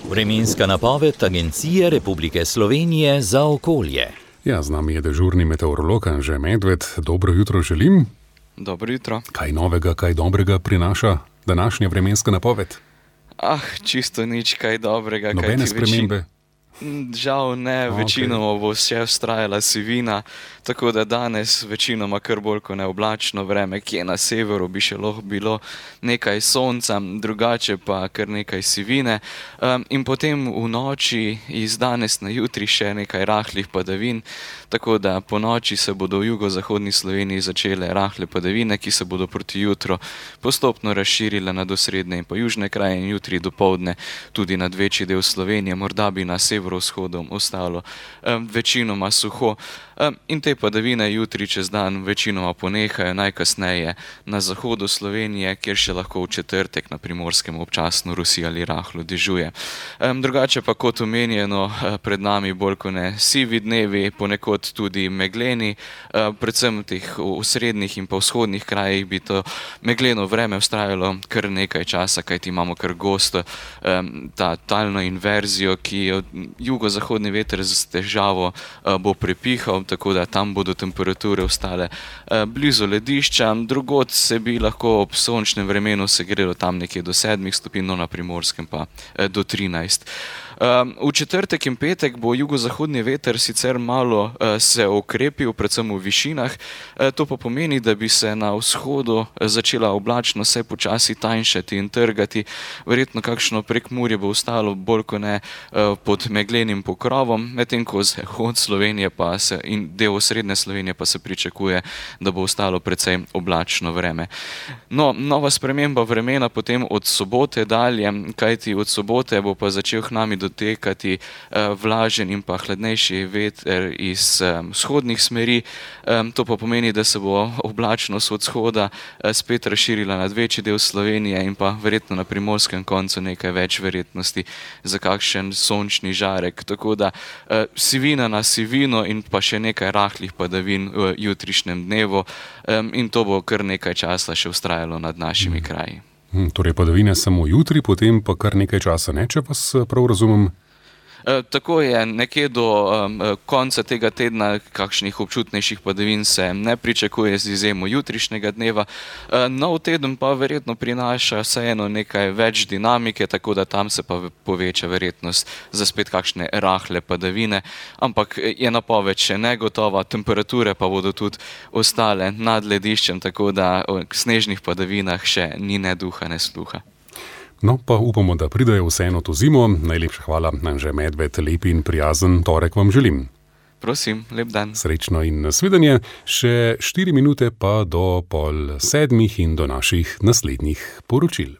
Vremenska napoved Agencije Republike Slovenije za okolje. Ja, z nami je dežurni meteorolog Anže Medved. Dobro jutro želim. Dobro jutro. Kaj novega, kaj dobrega prinaša današnja vremenska napoved? Čisto nič kaj dobrega. Nobene spremembe? Žal ne, večinoma bo še vztrajala sivina, tako da danes večinoma kar bolj kot neoblačno vreme, kje na severu bi še lahko bilo nekaj sonca, drugače pa kar nekaj sivine. In potem v noči iz danes na jutri še nekaj rahlih padavin, tako da po noči se bodo v jugozahodni Sloveniji začele rahle padavine, ki se bodo proti jutru postopno razširile nad osrednje in pa južne kraje in jutri dopoldne tudi nad večji del Slovenije, morda bi na severovzhodom ostalo večinoma suho. In te padavine jutri čez dan večinoma ponehajo, najkasneje na zahodu Slovenije, kjer še lahko v četrtek na Primorskem občasno rusi ali rahlo dežuje. Drugače pa kot omenjeno, pred nami bolj kot ne sivi dnevi, ponekod tudi megleni, predvsem v teh osrednjih in pa vzhodnih krajih bi to megleno vreme vztrajalo kar nekaj časa, kajti imamo kar gosto ta talno inverzijo, ki jo jugozahodni veter z težavo bo prepihal, tako da tam bodo temperature ostale blizu ledišča, drugod se bi lahko ob sončnem vremenu segrelo tam nekje do 7 stopinj, na Primorskem pa do 13. V četrtek in petek bo jugozahodni veter sicer malo se okrepil, predvsem v višinah, to pa pomeni, da bi se na vzhodu začela oblačnost se počasi tanjšati in trgati, verjetno kakšno Prekmurje bo ostalo bolj kot ne pod meglenim pokrovom, medtem ko zahod Slovenije pa se in del osrednje Slovenije pa se pričakuje, da bo ostalo precej oblačno vreme. No, nova sprememba vremena potem od sobote dalje, kajti od sobote bo pa začel k nami dotekati vlažen in pa hladnejši veter iz vzhodnih smeri. To pa pomeni, da se bo oblačnost od vzhoda spet razširila nad večji del Slovenije in pa verjetno na primorskem koncu nekaj več verjetnosti za kakšen sončni žarek. Tako da sivina na sivino in pa še nekaj rahlih padavin v jutrišnjem dnevu in to bo kar nekaj časa še vztrajalo nad našimi kraji. Torej padavine samo jutri, potem pa kar nekaj časa ne, če vas prav razumem? Tako je, nekje do konca tega tedna kakšnih občutnejših padavin se ne pričakuje z izjemo jutrišnjega dneva. Nov teden pa verjetno prinaša vseeno nekaj več dinamike, tako da tam se pa poveča verjetnost za spet kakšne rahle padavine, ampak je napoved še negotova, temperature pa bodo tudi ostale nad lediščem, tako da o snežnih padavinah še ni ne duha, ne sluha. No, pa upamo, da pridejo vseeno to zimo. Najlepša hvala, Anže Medved, lep in prijazen torek vam želim. Prosim, lep dan. Srečno in nasvidenje. Še 4 minute pa do 6:30 in do naših naslednjih poročil.